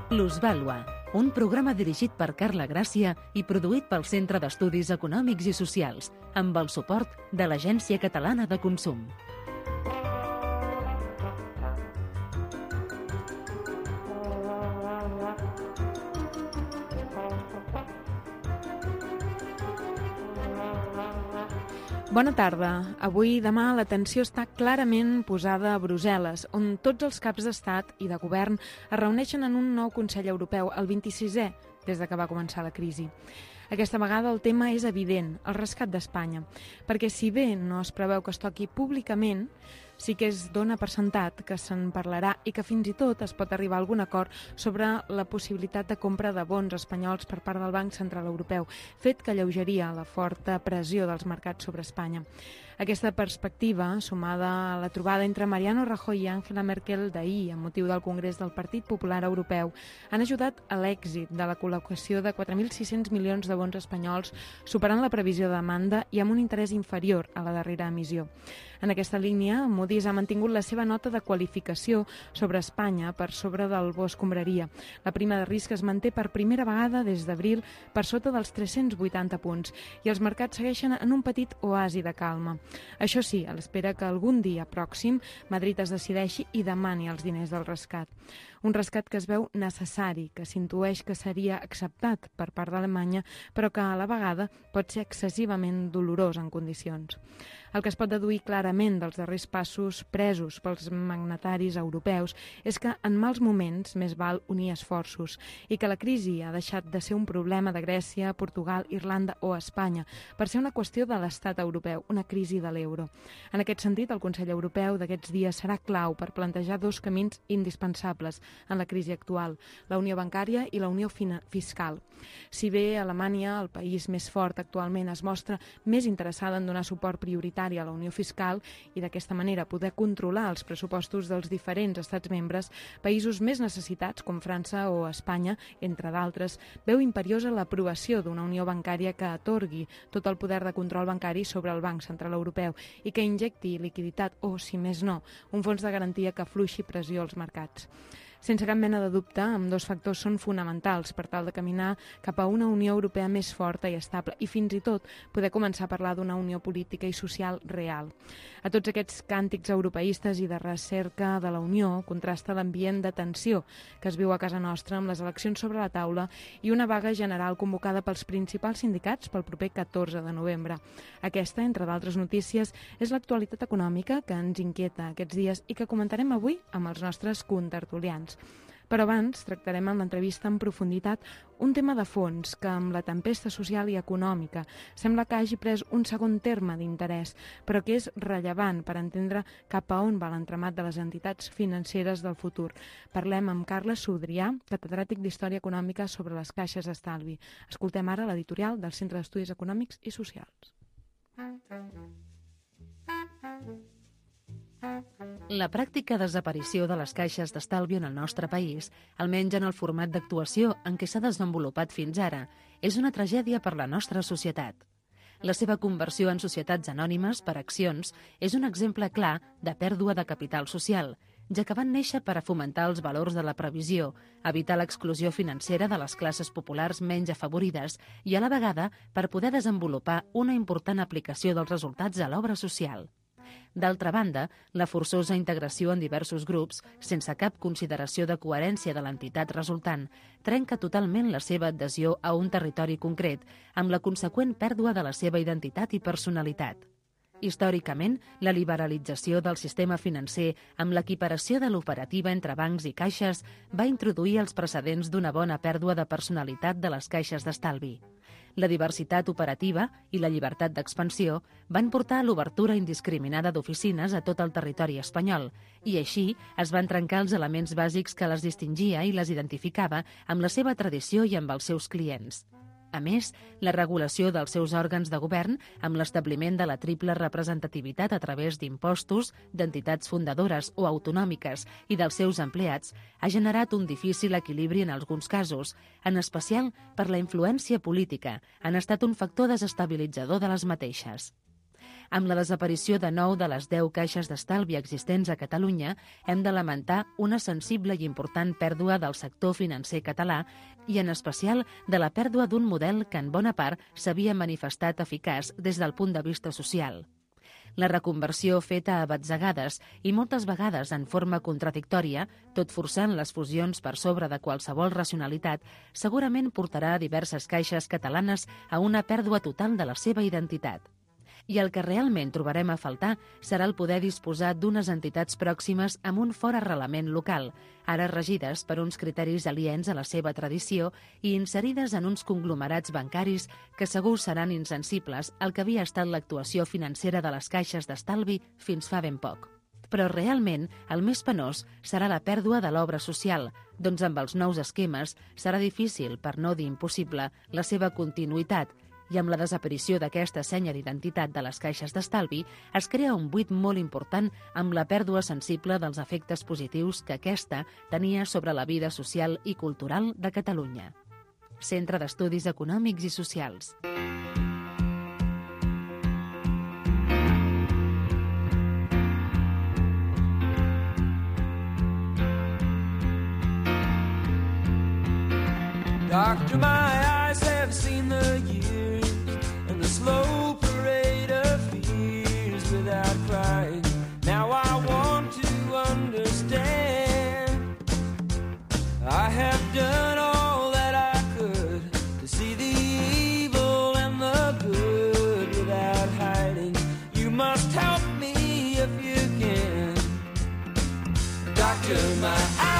Plusvàlua, un programa dirigit per Carla Gràcia i produït pel Centre d'Estudis Econòmics i Socials, amb el suport de l'Agència Catalana de Consum. Bona tarda. Avui i demà l'atenció està clarament posada a Brussel·les, on tots els caps d'estat i de govern es reuneixen en un nou Consell Europeu, el 26è, des de que va començar la crisi. Aquesta vegada el tema és evident, el rescat d'Espanya, perquè si bé no es preveu que es toqui públicament, sí que es dona per sentat que se'n parlarà i que fins i tot es pot arribar a algun acord sobre la possibilitat de compra de bons espanyols per part del Banc Central Europeu, fet que alleugeria la forta pressió dels mercats sobre Espanya. Aquesta perspectiva, sumada a la trobada entre Mariano Rajoy i Angela Merkel d'ahir amb motiu del Congrés del Partit Popular Europeu, han ajudat a l'èxit de la col·locació de 4.600 milions de bons espanyols, superant la previsió de demanda i amb un interès inferior a la darrera emissió. En aquesta línia, Moody's ha mantingut la seva nota de qualificació sobre Espanya per sobre del bo escombraria. La prima de risc es manté per primera vegada des d'abril per sota dels 380 punts i els mercats segueixen en un petit oasi de calma. Això sí, a l'espera que algun dia pròxim Madrid es decideixi i demani els diners del rescat. Un rescat que es veu necessari, que s'intueix que seria acceptat per part d'Alemanya, però que a la vegada pot ser excessivament dolorós en condicions. El que es pot deduir clarament dels darrers passos presos pels magnataris europeus és que en mals moments més val unir esforços i que la crisi ha deixat de ser un problema de Grècia, Portugal, Irlanda o Espanya per ser una qüestió de l'estat europeu, una crisi de l'euro. En aquest sentit, el Consell Europeu d'aquests dies serà clau per plantejar dos camins indispensables en la crisi actual, la unió bancària i la unió fiscal. Si bé Alemanya, el país més fort actualment, es mostra més interessada en donar suport prioritari a la unió fiscal i d'aquesta manera poder controlar els pressupostos dels diferents estats membres, països més necessitats, com França o Espanya, entre d'altres, veu imperiosa l'aprovació d'una unió bancària que atorgui tot el poder de control bancari sobre el Banc Central Europeu i que injecti liquiditat o, si més no, un fons de garantia que afluixi pressió als mercats. Sense cap mena de dubte, ambdós factors són fonamentals per tal de caminar cap a una Unió Europea més forta i estable i fins i tot poder començar a parlar d'una unió política i social real. A tots aquests càntics europeistes i de recerca de la Unió contrasta l'ambient de tensió que es viu a casa nostra amb les eleccions sobre la taula i una vaga general convocada pels principals sindicats pel proper 14 de novembre. Aquesta, entre d'altres notícies, és l'actualitat econòmica que ens inquieta aquests dies i que comentarem avui amb els nostres contertulians. Però abans tractarem en l'entrevista en profunditat un tema de fons que amb la tempesta social i econòmica sembla que hagi pres un segon terme d'interès, però que és rellevant per entendre cap a on va l'entramat de les entitats financeres del futur. Parlem amb Carles Sudrià, catedràtic d'Història Econòmica sobre les caixes d'estalvi. Escoltem ara l'editorial del Centre d'Estudis Econòmics i Socials. La pràctica desaparició de les caixes d'estalvi en el nostre país, almenys en el format d'actuació en què s'ha desenvolupat fins ara, és una tragèdia per la nostra societat. La seva conversió en societats anònimes per accions és un exemple clar de pèrdua de capital social, ja que van néixer per a fomentar els valors de la previsió, evitar l'exclusió financera de les classes populars menys afavorides i a la vegada per poder desenvolupar una important aplicació dels resultats a l'obra social. D'altra banda, la forçosa integració en diversos grups, sense cap consideració de coherència de l'entitat resultant, trenca totalment la seva adhesió a un territori concret, amb la conseqüent pèrdua de la seva identitat i personalitat. Històricament, la liberalització del sistema financer amb l'equiparació de l'operativa entre bancs i caixes va introduir els precedents d'una bona pèrdua de personalitat de les caixes d'estalvi. La diversitat operativa i la llibertat d'expansió van portar a l'obertura indiscriminada d'oficines a tot el territori espanyol i així es van trencar els elements bàsics que les distingia i les identificava amb la seva tradició i amb els seus clients. A més, la regulació dels seus òrgans de govern, amb l'establiment de la triple representativitat a través d'impostos, d'entitats fundadores o autonòmiques i dels seus empleats, ha generat un difícil equilibri en alguns casos, en especial per la influència política, han estat un factor desestabilitzador de les mateixes. Amb la desaparició de 9 de les 10 caixes d'estalvi existents a Catalunya, hem de lamentar una sensible i important pèrdua del sector financer català i, en especial, de la pèrdua d'un model que, en bona part, s'havia manifestat eficaç des del punt de vista social. La reconversió feta a batzegades i moltes vegades en forma contradictòria, tot forçant les fusions per sobre de qualsevol racionalitat, segurament portarà a diverses caixes catalanes a una pèrdua total de la seva identitat. I el que realment trobarem a faltar serà el poder disposar d'unes entitats pròximes amb un fort arrelament local, ara regides per uns criteris aliens a la seva tradició i inserides en uns conglomerats bancaris que segur seran insensibles al que havia estat l'actuació financera de les caixes d'estalvi fins fa ben poc. Però realment el més penós serà la pèrdua de l'obra social, doncs amb els nous esquemes serà difícil, per no dir impossible, la seva continuïtat, i amb la desaparició d'aquesta senya d'identitat de les caixes d'estalvi es crea un buit molt important amb la pèrdua sensible dels efectes positius que aquesta tenia sobre la vida social i cultural de Catalunya. Centre d'Estudis Econòmics i Socials. Doctor, my eyes have seen the years and the slow parade of fears without crying. Now I want to understand. I have done all that I could to see the evil and the good without hiding. You must help me if you can. Doctor, my eyes,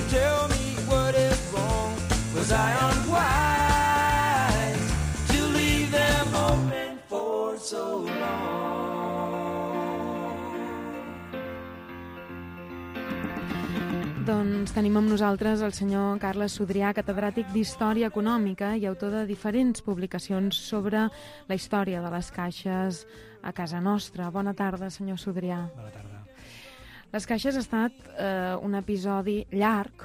tell me what is wrong. Was I unwise to leave them open for so long? Doncs tenim amb nosaltres el senyor Carles Sudrià, catedràtic d'Història Econòmica i autor de diferents publicacions sobre la història de les caixes a casa nostra. Bona tarda, senyor Sudrià. Bona tarda. Les caixes ha estat un episodi llarg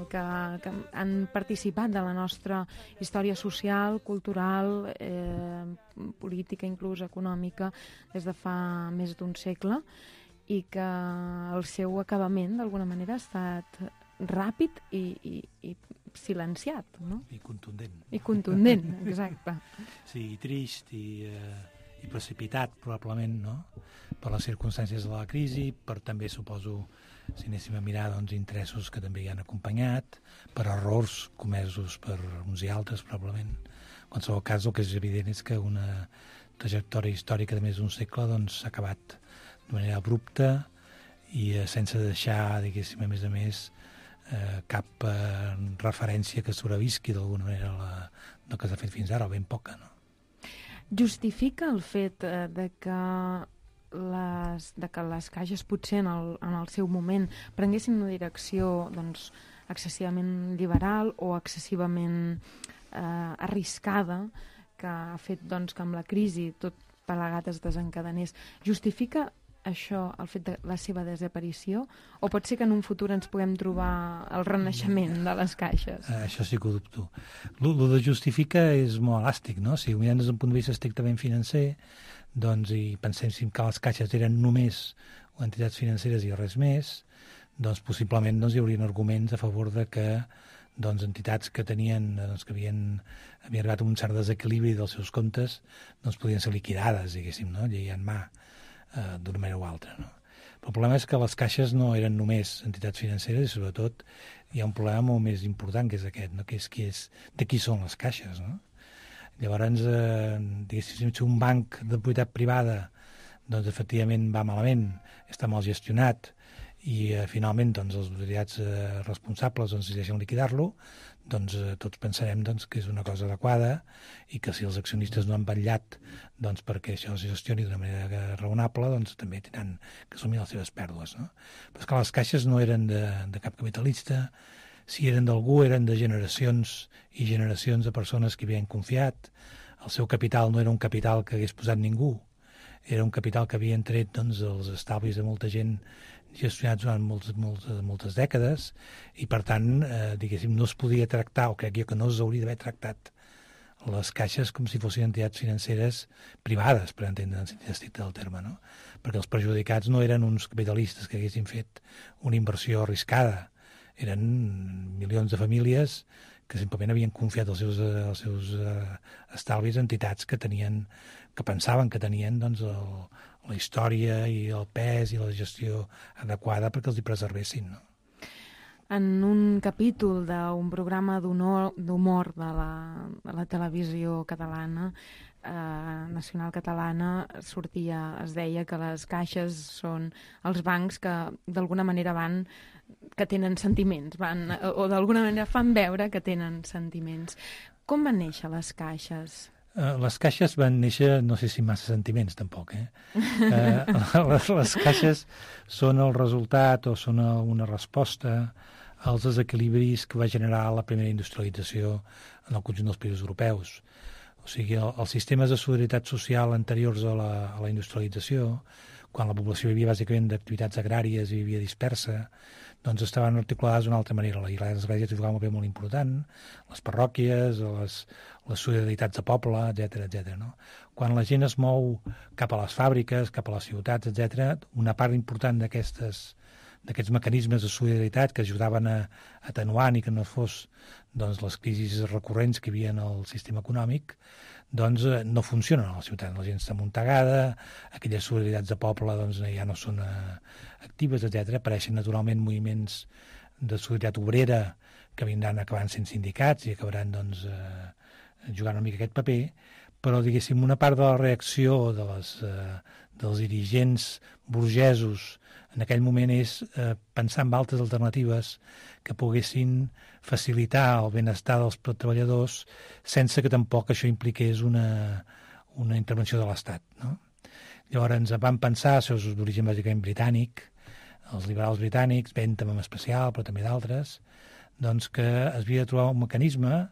que han participat de la nostra història social, cultural, política, inclús econòmica, des de fa més d'un segle, i que el seu acabament, d'alguna manera, ha estat ràpid i silenciat, no? I contundent. I contundent, exacte. Sí, trist i precipitat, probablement, no?, per les circumstàncies de la crisi, per també, suposo, si anéssim a mirar, doncs, interessos que també hi han acompanyat, per errors comesos per uns i altres, probablement. En qualsevol cas, el que és evident és que una trajectòria històrica de més d'un segle doncs, s'ha acabat de manera abrupta i sense deixar, diguéssim, a més, cap referència que sobrevisqui d'alguna manera del que s'ha fet fins ara, o ben poca, no? Justifica el fet de que les caixes potser en el seu moment prenguessin una direcció doncs, excessivament liberal o excessivament arriscada, que ha fet doncs, que amb la crisi tot plegat es desencadenés. Justifica això, el fet de la seva desaparició, o pot ser que en un futur ens puguem trobar el renaixement de les caixes? Això sí que ho dubto. Lo de justifica és molt elàstic, no? Si ho mirem des d'un punt de vista estrictament financer, doncs, i pensem que les caixes eren només entitats financeres i res més, doncs possiblement doncs, hi haurien arguments a favor de que doncs, entitats que tenien, doncs, que havien arribat a un cert desequilibri dels seus comptes, doncs podien ser liquidades, diguéssim, no? Llei en mà, d'una manera o altra, no? Però el problema és que les caixes no eren només entitats financeres i, sobretot, hi ha un problema molt més important, que és aquest, no? Que és de qui són les caixes, no? Llavors, diguéssim, si un banc de propietat privada doncs, efectivament va malament, està mal gestionat, i finalment doncs, els autoritats responsables doncs, decideixen liquidar-lo, doncs tots pensarem doncs, que és una cosa adequada i que si els accionistes no han vetllat doncs, perquè això es gestioni d'una manera raonable, doncs també tindran que assumir les seves pèrdues, no? Però és que les caixes no eren de cap capitalista, si eren d'algú eren de generacions i generacions de persones que havien confiat. El seu capital no era un capital que hagués posat ningú, era un capital que havien tret doncs, els estalvis de molta gent gestionats durant moltes dècades i, per tant, diguéssim, no es podia tractar, o crec jo que no s'hauria d'haver tractat les caixes com si fossin entitats financeres privades, per entendre en sentit estricte del terme, no? Perquè els perjudicats no eren uns capitalistes que haguessin fet una inversió arriscada, eren milions de famílies que simplement havien confiat els seus estalvis a entitats que pensaven que tenien doncs, la història i el pes i la gestió adequada perquè els hi preservessin, no? En un capítol d'un programa d'humor de la televisió catalana, nacional catalana, es deia que les caixes són els bancs que d'alguna manera que tenen sentiments, o d'alguna manera fan veure que tenen sentiments. Com van néixer les caixes? Les caixes van néixer, no sé si massa sentiments tampoc, les caixes són el resultat o són una resposta als desequilibris que va generar la primera industrialització en el conjunt dels països europeus. O sigui, els sistemes de solidaritat social anteriors a la industrialització, quan la població vivia bàsicament d'activitats agràries i vivia dispersa, doncs estaven articulades d'una altra manera. I les esglésies jugaven un paper molt important, les parròquies, les solidaritats de poble, etc. No? Quan la gent es mou cap a les fàbriques, cap a les ciutats, etc., una part important d'aquests mecanismes de solidaritat que ajudaven a atenuar i que no fos doncs, les crisis recurrents que hi havia en el sistema econòmic, doncs no funcionen a la ciutat. La gent està amuntegada, aquelles solidaritats de poble doncs, ja no són actives, etc. Apareixen naturalment moviments de solidaritat obrera que vindran acabant sent sindicats i acabaran doncs, jugant una mica aquest paper, però diguéssim una part de la reacció dels dirigents burgesos en aquell moment és pensar en altres alternatives que poguessin facilitar el benestar dels treballadors sense que tampoc això impliqués una intervenció de l'Estat. No? Llavors ens van pensar, això és d'origen bàsicament britànic, els liberals britànics, Bentham en especial, però també d'altres, doncs que es havia de trobar un mecanisme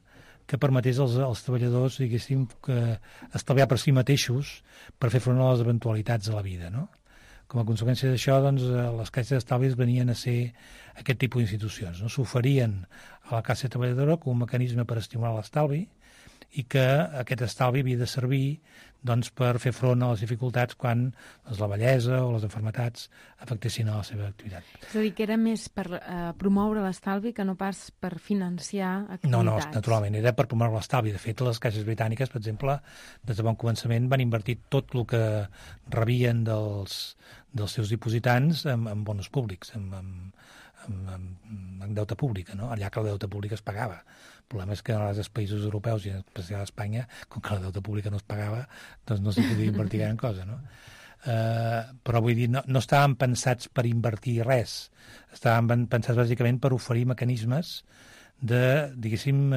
que permetés als treballadors, diguéssim, que estalviar per si mateixos per fer front a les eventualitats de la vida, no? Com a conseqüència d'això, doncs, les caixes d'estalvis venien a ser aquest tipus d'institucions. No? S'oferien a la classe treballadora com un mecanisme per estimular l'estalvi i que aquest estalvi havia de servir doncs, per fer front a les dificultats quan la vellesa o les malalties afectessin a la seva activitat. És a dir, que era més per promoure l'estalvi que no pas per financiar activitats. No, naturalment, era per promoure l'estalvi. De fet, les caixes britàniques, per exemple, des de bon començament van invertir tot el que rebien dels seus dipositants en bons públics, en deute públic, no? Allà que el deute públic es pagava. El problema és que en els països europeus, i en especial a Espanya, com que el deute públic no es pagava, doncs no s'hi podia invertir gran cosa, no? Però vull dir, no estaven pensats per invertir res, estaven pensats bàsicament per oferir mecanismes de, diguéssim,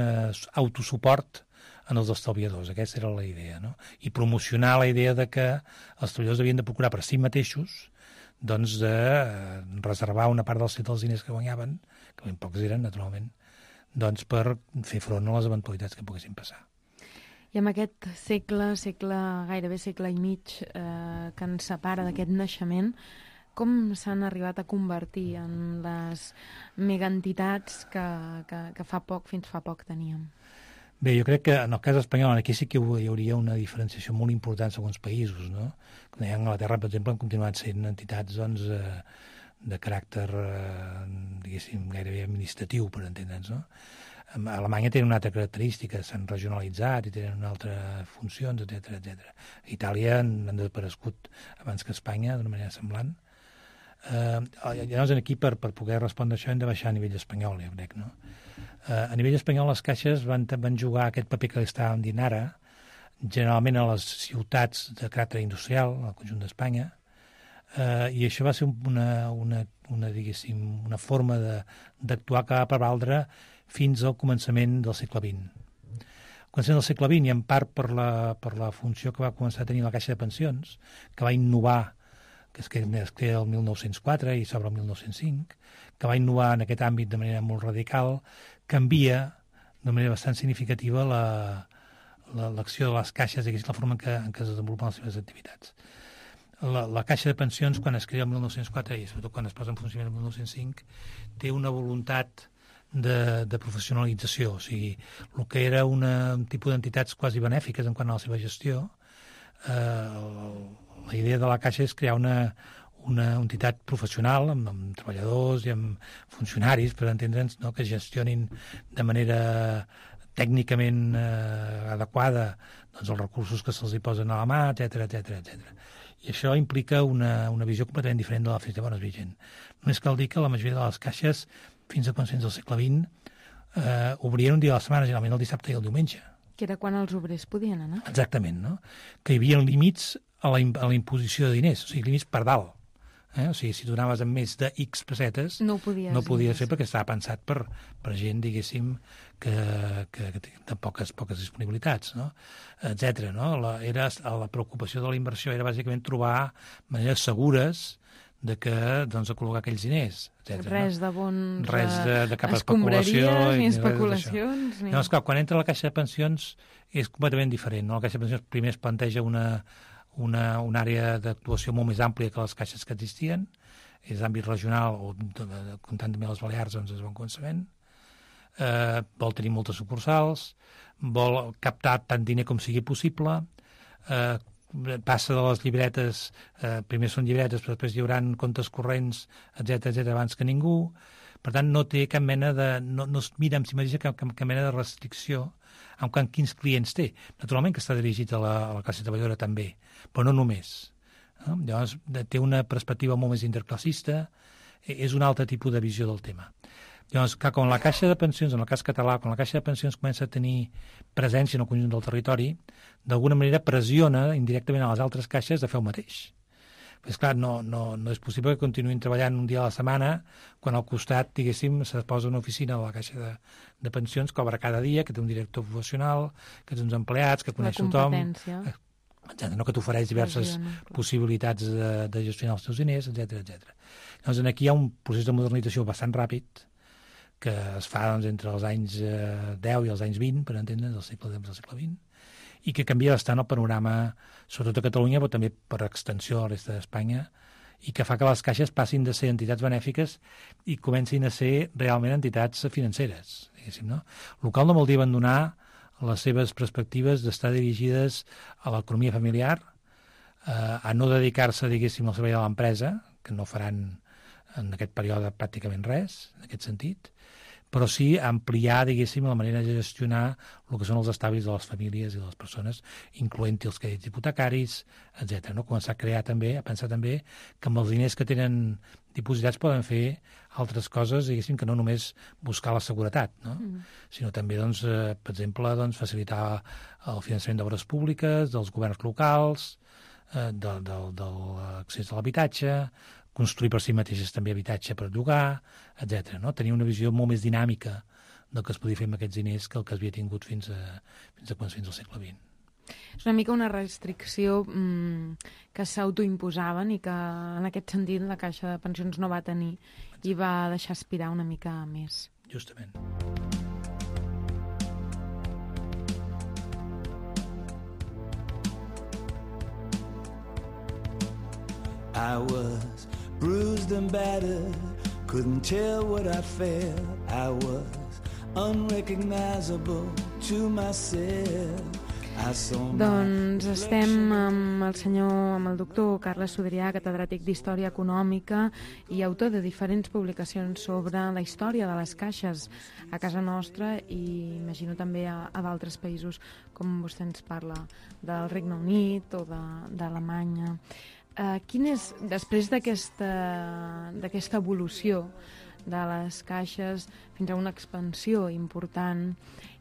autosuport en els estalviadors. Aquesta era la idea, no? I promocionar la idea de que els treballadors havien de procurar per si mateixos doncs de reservar una part dels diners que guanyaven, que ben pocs eren, naturalment, doncs per fer front a les eventualitats que poguessin passar. I amb aquest gairebé segle i mig que ens separa d'aquest naixement, com s'han arribat a convertir en les megaentitats que fins fa poc teníem? Bé, jo crec que en el cas espanyol aquí sí que hi hauria una diferenciació molt important segons països, no? Com deia, Anglaterra, per exemple, han continuat sent entitats doncs, de caràcter, diguéssim, gairebé administratiu, per entendre'ns, no? A Alemanya tenen una altra característica, s'han regionalitzat i tenen una altra funcions, etc. A Itàlia han desaparegut abans que a Espanya, d'una manera semblant. Llavors, aquí, per poder respondre això, hem de baixar a nivell espanyol, jo crec, no? A nivell espanyol, les caixes van jugar aquest paper que estàvem dient ara, generalment a les ciutats de caràcter industrial, al conjunt d'Espanya, i això va ser diguéssim, una forma d'actuar que va prevaldre fins al començament del segle XX. Al començament del segle XX, i en part per la funció que va començar a tenir la Caixa de Pensions, que va innovar, que es crea el 1904 i s'obre el 1905, que va innovar en aquest àmbit de manera molt radical, canvia de manera bastant significativa l'acció de les caixes, la forma en què es desenvolupen les seves activitats. La Caixa de Pensions, quan es crea el 1904 i sobretot quan es posa en funcionament el 1905, té una voluntat de professionalització. O sigui, el que era un tipus d'entitats quasi benèfiques en quant a la seva gestió, la idea de la Caixa és crear una entitat professional amb treballadors i amb funcionaris, per entendre'ns, no? Que gestionin de manera tècnicament adequada doncs, els recursos que se'ls hi posen a la mà, etc. I això implica una visió completament diferent de la Festa de Bones Vigent. Només cal dir que la majoria de les caixes, fins a començaments del segle XX, obrien un dia a la setmana, generalment el dissabte i el diumenge. Que era quan els obrers podien anar. Exactament, no? Que hi havia límits a la imposició de diners, o sigui, límits per dalt. O sigui, si donaves amb més de X pessetes, no ho podies fer perquè estava pensat per gent, diguéssim, que de poques disponibilitats, no? Etcètera, no? La preocupació de la inversió era bàsicament trobar maneres segures de col·locar aquells diners, etcètera. Res de bons... Res de cap especulació. Ni especulacions. No, esclar, quan entra la Caixa de Pensions és completament diferent, no? La Caixa de Pensions primer es planteja una àrea d'actuació molt més àmplia que les caixes que existien, és d'àmbit regional, o comptant també les Balears, doncs es van començament, vol tenir moltes sucursals, vol captar tant diner com sigui possible, passa de les llibretes, primer són llibretes, però després hi haurà comptes corrents, etc abans que ningú. Per tant, no té cap mena de... No es mira amb si mateixa cap mena de restricció en quins clients té. Naturalment que està dirigit a la classe treballadora també, però no només. Llavors, té una perspectiva molt més interclassista, és un altre tipus de visió del tema. Llavors, que quan la Caixa de Pensions, en el cas català, quan la Caixa de Pensions comença a tenir presència en el conjunt del territori, d'alguna manera pressiona indirectament a les altres caixes de fer el mateix. Però, és clar, no és possible que continuïn treballant un dia a la setmana quan al costat, diguéssim, se posa una oficina a la Caixa de Pensions que obre cada dia, que té un director professional, que té uns empleats, que coneix tothom... No, que t'ofereix diverses possibilitats de gestionar els teus diners, etc. Llavors, aquí hi ha un procés de modernització bastant ràpid que es fa doncs, entre els anys 10 i els anys 20, per entendre's, del segle XX, i que canvia bastant el panorama, sobretot a Catalunya, però també per extensió a la resta d'Espanya, i que fa que les caixes passin de ser entitats benèfiques i comencin a ser realment entitats financeres, diguéssim, no? El qual no vol dir abandonar les seves perspectives d'estar dirigides a l'economia familiar, a no dedicar-se, diguéssim, al servei de l'empresa, que no faran en aquest període pràcticament res, en aquest sentit, però sí ampliar, diguéssim, la manera de gestionar el que són els estalvis de les famílies i de les persones, incloent-hi els crèdits hipotecaris, etc. No? Començar a crear també, a pensar també que amb els diners que tenen dipositats poden fer altres coses, diguéssim, que no només buscar la seguretat, no? Sinó també, doncs, per exemple, doncs, facilitar el finançament d'obres públiques, dels governs locals, de l'accés a l'habitatge, construir per si mateixes també habitatge per llogar, etc. No? Tenir una visió molt més dinàmica del que es podia fer amb aquests diners que el que es havia tingut fins al segle XX. És una mica una restricció que s'autoimposaven i que en aquest sentit la Caixa de Pensions no va tenir i va deixar aspirar una mica més. Justament. I was bruised and battered, couldn't tell what I felt. I was unrecognizable to myself. Doncs estem amb el doctor Carles Sodrià, catedràtic d'Història Econòmica i autor de diferents publicacions sobre la història de les caixes a casa nostra i imagino també a d'altres països, com vostè ens parla del Regne Unit o d'Alemanya. Quin és, després d'aquesta evolució de les caixes fins a una expansió important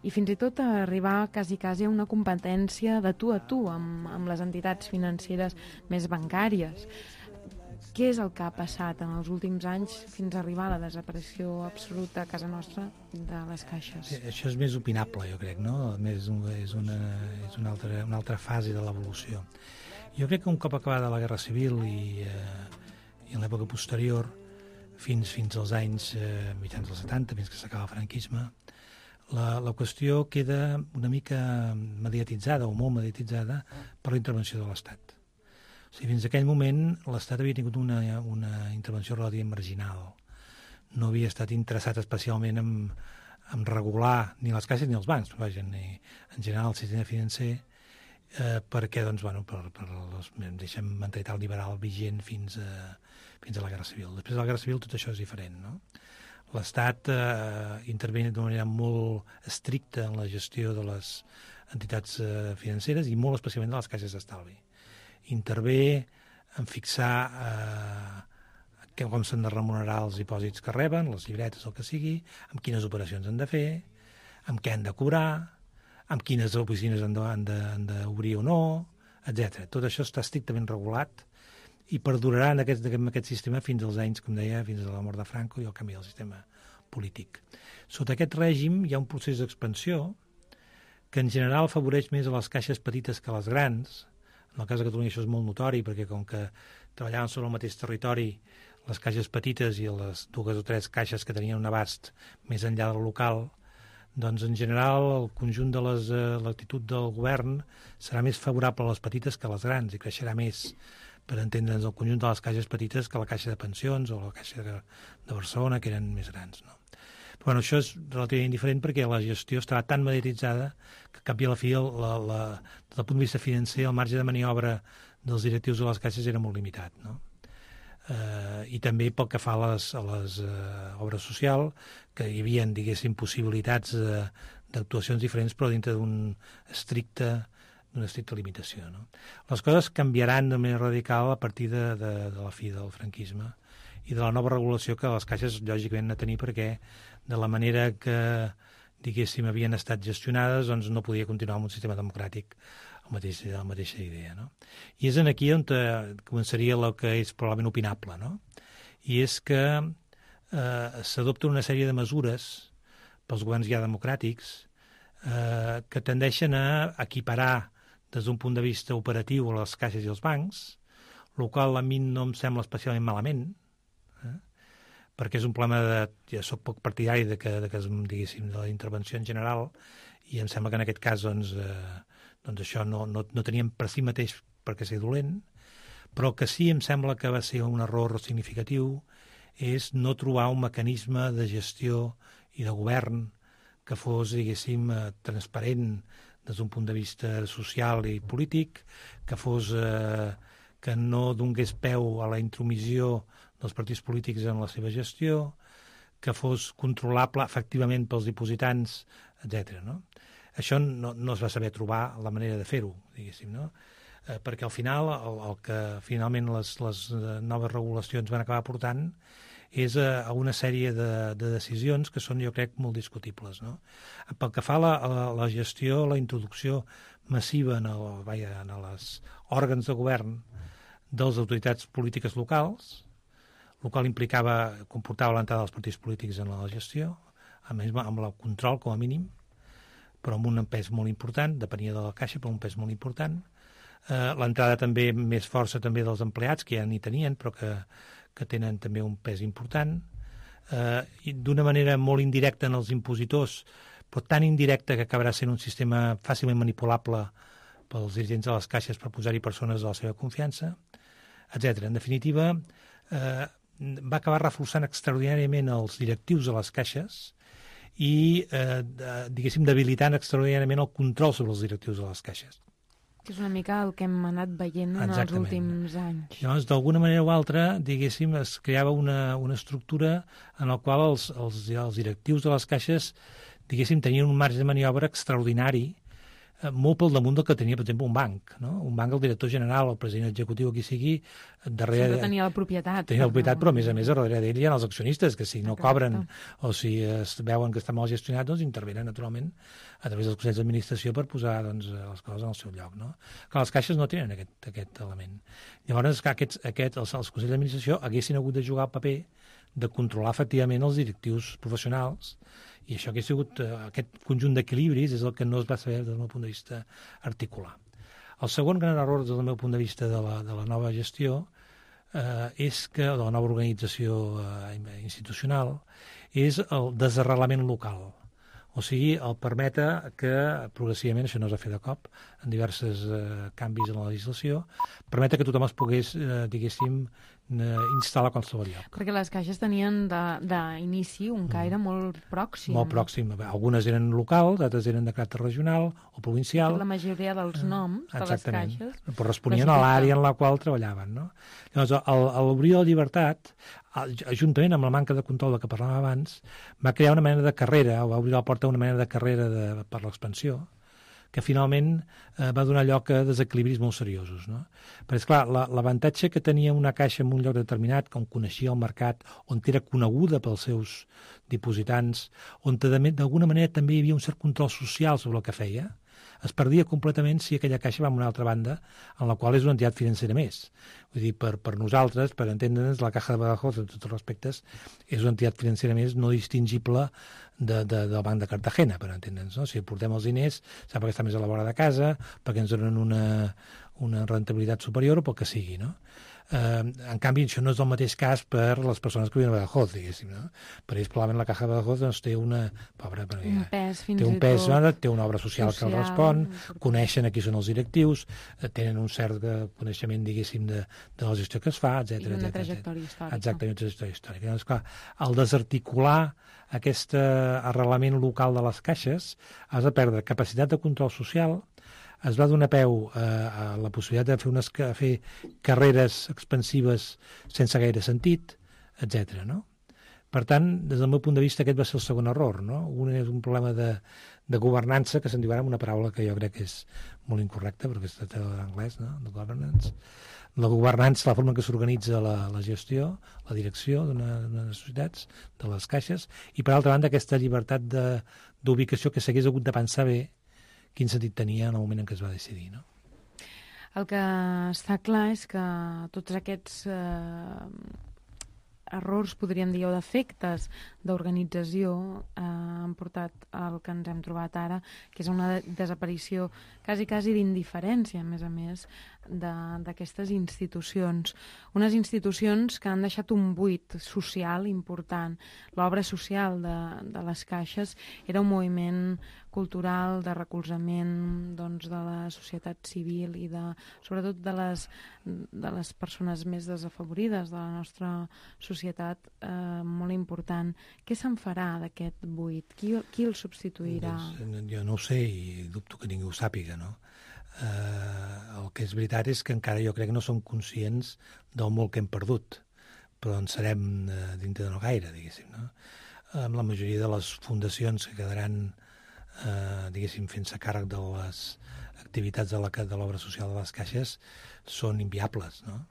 i fins i tot a arribar quasi a una competència de tu a tu amb les entitats financeres més bancàries. Què és el que ha passat en els últims anys fins a arribar a la desaparició absoluta a casa nostra de les caixes? Sí, això és més opinable, jo crec, no? És una altra fase de l'evolució. Jo crec que un cop acabada la Guerra Civil i en l'època posterior, fins als anys mitjans dels 70, fins que s'acaba el franquisme, la qüestió queda una mica mediatitzada o molt mediatitzada per la intervenció de l'Estat. O sigui, fins a aquell moment l'Estat havia tingut una intervenció relativament marginal. no havia estat interessat especialment en regular ni les caixes ni els bancs, vaja, ni en general el sistema financer, perquè, doncs, bueno, per la mentalitat liberal vigent fins a la Guerra Civil. Després de la Guerra Civil tot això és diferent, no? L'Estat intervé d'una manera molt estricta en la gestió de les entitats financeres i molt especialment de les caixes d'estalvi. Intervé en fixar com s'han de remunerar els dipòsits que reben, les llibretes, el que sigui, amb quines operacions han de fer, amb què han de cobrar, amb quines oficines han d'obrir o no, etc. Tot això està estrictament regulat i perdurarà en aquest sistema fins als anys, com deia, fins a la mort de Franco i el canvi del sistema polític. Sota aquest règim hi ha un procés d'expansió que en general afavoreix més a les caixes petites que a les grans. En el cas de Catalunya això és molt notori, perquè com que treballaven sobre el mateix territori, les caixes petites i les 2 o 3 caixes que tenien un abast més enllà del local, doncs en general el conjunt de l'actitud del govern serà més favorable a les petites que a les grans i creixerà més, per entendre'ns, el conjunt de les caixes petites que la caixa de pensions o la caixa de Barcelona, que eren més grans, no? Però bueno, això és relativament diferent perquè la gestió estava tan mediatitzada que cap i a la fi, des del punt de vista financer, el marge de maniobra dels directius de les caixes era molt limitat, no? I també pel que fa a les obres socials, que hi havia, diguéssim, possibilitats d'actuacions diferents, però dintre d'una estricta limitació, no? Les coses canviaran de manera radical a partir de la fi del franquisme i de la nova regulació que les caixes lògicament han de tenir, perquè de la manera que, diguéssim, havien estat gestionades, doncs no podia continuar amb un sistema democràtic la mateixa idea, no? I és aquí on començaria el que és probablement opinable, no? I és que s'adopta una sèrie de mesures pels governs ja democràtics que tendeixen a equiparar des d'un punt de vista operatiu a les caixes i els bancs, el qual a mi no em sembla especialment malament, perquè és un problema ja soc poc partidari diguéssim, de la intervenció en general, i em sembla que en aquest cas doncs això no teníem per si mateix perquè ser dolent, però que sí em sembla que va ser un error significatiu és no trobar un mecanisme de gestió i de govern que fos, diguéssim, transparent des d'un punt de vista social i polític, que no donés peu a la intromissió dels partits polítics en la seva gestió, que fos controlable efectivament pels dipositants, etc. No? Això no es va saber trobar la manera de fer-ho, diguéssim, no? Perquè al final el que finalment les noves regulacions van acabar portant és a una sèrie de decisions que són, jo crec, molt discutibles, no? Pel que fa a la gestió, la introducció massiva en els òrgans de govern de les autoritats polítiques locals, el qual comportava l'entrada dels partits polítics en la gestió, amb el control com a mínim, però amb un pes molt important, depenia de la caixa, però un pes molt important. L'entrada també més força també dels empleats, que ja n'hi tenien, però que tenen també un pes important, i d'una manera molt indirecta en els impositors, però tan indirecta que acabarà sent un sistema fàcilment manipulable pels dirigents de les caixes per posar-hi persones de la seva confiança, etc. En definitiva, va acabar reforçant extraordinàriament els directius de les caixes i, diguéssim, debilitant extraordinàriament el control sobre els directius de les caixes. Que és una mica el que hem anat veient en els últims anys. Llavors, d'alguna manera o altra, diguéssim, es creava una estructura en la qual els directius de les caixes, diguéssim, tenien un marge de maniobra extraordinari, molt pel damunt del que tenia, per exemple, un banc, no? Un banc, el director general, el president executiu, qui sigui, darrere... Sempre tenia la propietat. Tenia la propietat, però a més, darrere d'ell hi ha els accionistes, que si no cobren o si es veuen que està mal gestionat, doncs intervenen, naturalment, a través dels consells d'administració per posar les coses en el seu lloc, no? Clar, les caixes no tenen aquest element. Llavors, els consells d'administració haguessin hagut de jugar el paper de controlar efectivament els directius professionals, i això que ha sigut aquest conjunt d'equilibris és el que no es va saber des del meu punt de vista articular. El segon gran error des del meu punt de vista de la nova gestió és que, de la nova organització institucional, és el desarrelament local. O sigui, el permetre que progressivament, això no es va fer de cop, en diversos canvis en la legislació, permetre que tothom es pogués, diguéssim, instal·lar a qualsevol lloc. Perquè les caixes tenien d'inici un caire molt pròxim. Molt pròxim. Algunes eren locals, altres eren de caràcter regional o provincial. La majoria dels noms de les caixes corresponien a l'àrea en la qual treballaven. No? Llavors, a l'obrir la llibertat, juntament amb la manca de control de què parlàvem abans, va crear una mena de carrera, o va obrir la porta a una mena de carrera per l'expansió, que finalment va donar lloc a desequilibris molt seriosos. No? Però, esclar, l'avantatge que tenia una caixa en un lloc determinat, on coneixia el mercat, on era coneguda pels seus dipositants, on d'alguna manera també hi havia un cert control social sobre el que feia, es perdia completament si aquella caixa va a una altra banda, en la qual és una entitat financera més. Vull dir, per nosaltres, per entendre'ns, la Caja de Badajoz, en tots els respectes, és una entitat financera més no distingible del Banc de Cartagena, per entendre'ns. No? Si portem els diners, sap perquè està més a la vora de casa, perquè ens donen una rentabilitat superior o pel que sigui, no? En canvi, això no és el mateix cas per les persones que viuen a Badajoz, diguéssim, no? Per ells, probablement, la Caja de Badajoz doncs, té un pes, té una obra social que el respon, coneixen qui són els directius, tenen un cert coneixement, diguéssim, de la gestió que es fa, etc. I una trajectòria històrica. Exactament, una trajectòria històrica. Llavors, clar, al desarticular aquest arrelament local de les caixes, has de perdre capacitat de control social, es va donar peu a la possibilitat de fer carreres expansives sense gaire sentit, etc. No? Per tant, des del meu punt de vista, aquest va ser el segon error. No? Un és un problema de governança, que se'n diu ara amb una paraula que jo crec que és molt incorrecta, perquè es tracta d'anglès, no? De governance. La governança, la forma en què s'organitza la gestió, la direcció d'unes societats, de les caixes, i per altra banda aquesta llibertat d'ubicació que s'hagués hagut de pensar bé quin sentit tenia en el moment en què es va decidir, no? El que està clar és que tots aquests errors, podríem dir, o defectes d'organització han portat al que ens hem trobat ara, que és una desaparició quasi d'indiferència, a més, d'aquestes institucions. Unes institucions que han deixat un buit social important. L'obra social de les caixes era un moviment cultural de recolzament doncs, de la societat civil i sobretot de les persones més desafavorides de la nostra societat, molt important. Què se'n farà d'aquest buit? Qui el substituirà? Doncs, jo no ho sé i dubto que ningú ho sàpiga, no? El que és veritat és que encara jo crec que no som conscients del molt que hem perdut, però en serem dintre de no gaire, diguéssim, no? Amb la majoria de les fundacions que quedaran diguéssim, fent-se càrrec de les activitats de l'obra social de les caixes són inviables, no?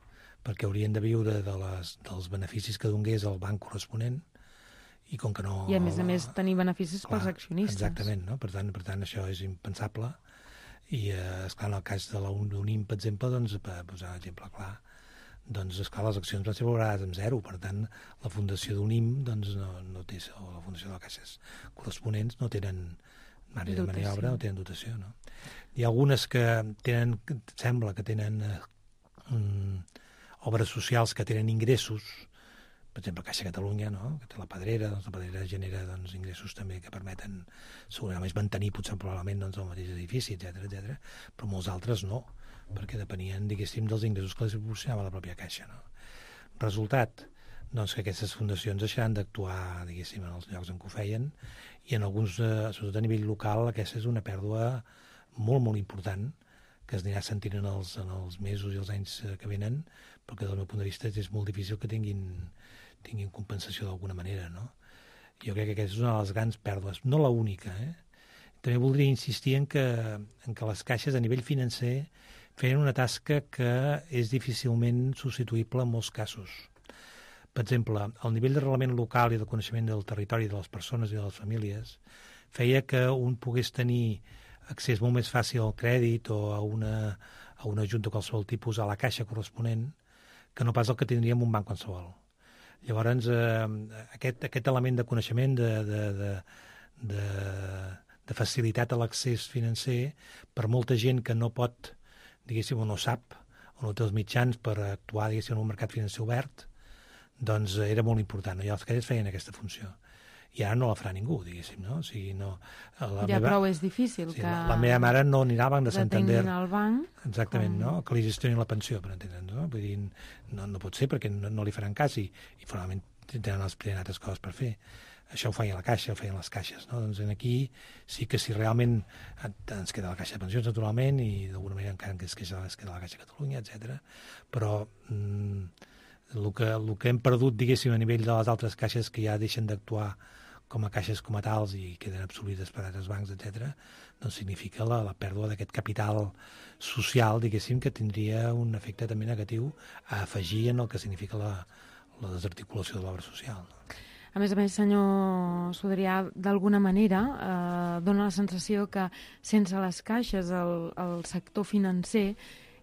Perquè haurien de viure dels beneficis que donés el banc corresponent i com que no... I a més tenir beneficis pels accionistes. Exactament, no? Per tant, això és impensable i, esclar, en el cas de l'UNIM, per exemple, doncs, per posar un exemple clar, doncs, esclar, les accions van ser valorades amb 0, per tant, la fundació d'UNIM doncs, no té, o la fundació de les caixes corresponents no tenen marge de maniobra, no tenen dotació, no? Hi ha algunes que tenen, sembla que tenen obres socials que tenen ingressos, per exemple, Caixa Catalunya, no? Que té la Pedrera, doncs la Pedrera genera doncs, ingressos també que permeten segurament mantenir potser probablement doncs, el mateix edifici, etc, però molts altres no, perquè depenien, diguéssim, dels ingressos que les proporcionava la pròpia Caixa, no? Resultat, doncs que aquestes fundacions deixaran d'actuar, diguéssim, en els llocs en què ho feien, i en alguns, sobretot a nivell local, aquesta és una pèrdua molt, molt important, que es anirà sentint en els mesos i els anys que venen, perquè del meu punt de vista és molt difícil que tinguin compensació d'alguna manera, no? Jo crec que aquesta és una de les grans pèrdues, no la única, També voldria insistir en que les caixes a nivell financer feien una tasca que és difícilment substituïble en molts casos. Per exemple, el nivell d'arrelament local i de coneixement del territori de les persones i de les famílies feia que un pogués tenir accés molt més fàcil al crèdit o a una ajuda de qualsevol tipus a la caixa corresponent que no pas el que tindríem un banc qualsevol. Llavors, aquest element de coneixement, de facilitat a l'accés financer, per molta gent que no pot, diguéssim, o no sap, o no té els mitjans per actuar, diguéssim, en un mercat financer obert, doncs era molt important. I els caixes feien aquesta funció. i ara no la farà ningú, diguéssim, no? O sigui, no... Prou és difícil que... La meva mare no anirà al Banc de Santander. Al banc. Exactament, no? Que li gestionin la pensió, per entendre'ns, no? Vull dir, no pot ser perquè no li faran cas i formalment tenen altres coses per fer. Això ho feia la Caixa, ho feien les caixes, no? Doncs aquí sí que si realment ens queda la Caixa de Pensions, naturalment, i d'alguna manera encara ens queda la Caixa de Catalunya, etc. Però el que hem perdut, diguéssim, a nivell de les altres caixes que ja deixen d'actuar com a caixes com a tals i queden absorbides per altres bancs, etc., doncs significa la pèrdua d'aquest capital social, diguéssim, que tindria un efecte també negatiu a afegir en el que significa la desarticulació de l'obra social. A més, senyor Sudrià, d'alguna manera dona la sensació que sense les caixes el sector financer